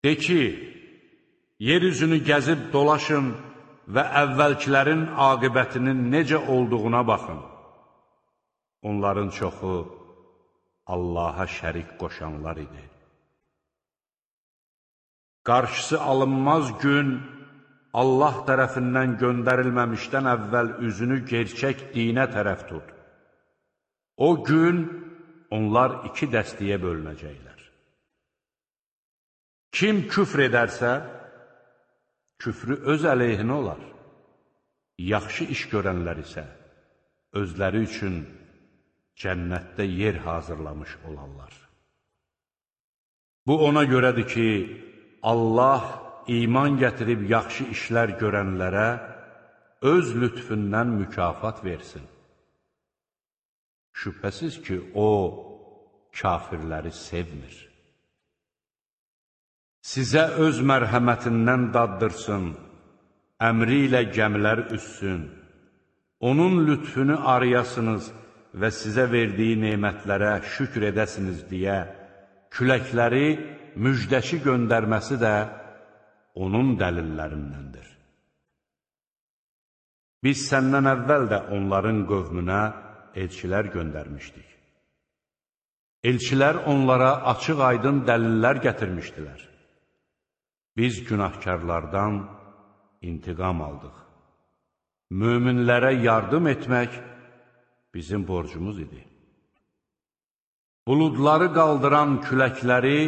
De ki, yeryüzünü gəzib dolaşın və əvvəlkilərin aqibətinin necə olduğuna baxın. Onların çoxu Allaha şərik qoşanlar idi. Qarşısı alınmaz gün Allah tərəfindən göndərilməmişdən əvvəl üzünü gerçək dinə tərəf tut. O gün onlar iki dəstəyə bölünəcəklər. Kim küfr edərsə, küfrü öz əleyhinə olar. Yaxşı iş görənlər isə özləri üçün cənnətdə yer hazırlamış olarlar. Bu ona görədir ki, Allah iman gətirib yaxşı işlər görənlərə öz lütfündən mükafat versin. Şübhəsiz ki, O, kafirləri sevmir. Sizə öz mərhəmətindən daddırsın, əmri ilə gəmilər üssün, onun lütfünü arayasınız və sizə verdiyi nemətlərə şükr edəsiniz deyə küləkləri müjdəçi göndərməsi də onun dəlillərindəndir. Biz səndən əvvəl də onların qövmünə elçilər göndərmişdik. Elçilər onlara açıq-aydın dəlillər gətirmişdilər. Biz günahkarlardan intiqam aldıq. Möminlərə yardım etmək bizim borcumuz idi. Buludları qaldıran küləkləri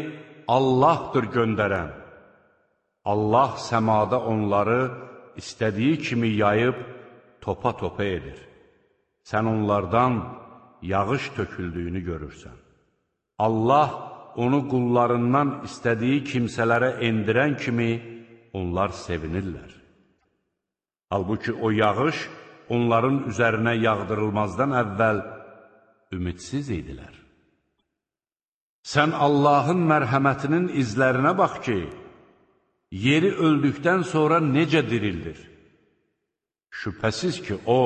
Allahdır göndərən. Allah səmada onları istədiyi kimi yayıb topa-topa edir. Sən onlardan yağış töküldüyünü görürsən. Allah onu qullarından istədiyi kimsələrə endirən kimi onlar sevinirlər. Halbuki o yağış onların üzərinə yağdırılmazdan əvvəl ümidsiz idilər. Sən Allahın mərhəmətinin izlərinə bax ki, yeri öldükdən sonra necə dirildir? Şübhəsiz ki, O,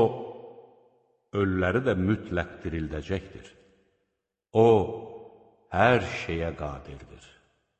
ölüləri də mütləq dirildəcəkdir. O, hər şeyə qadirdir.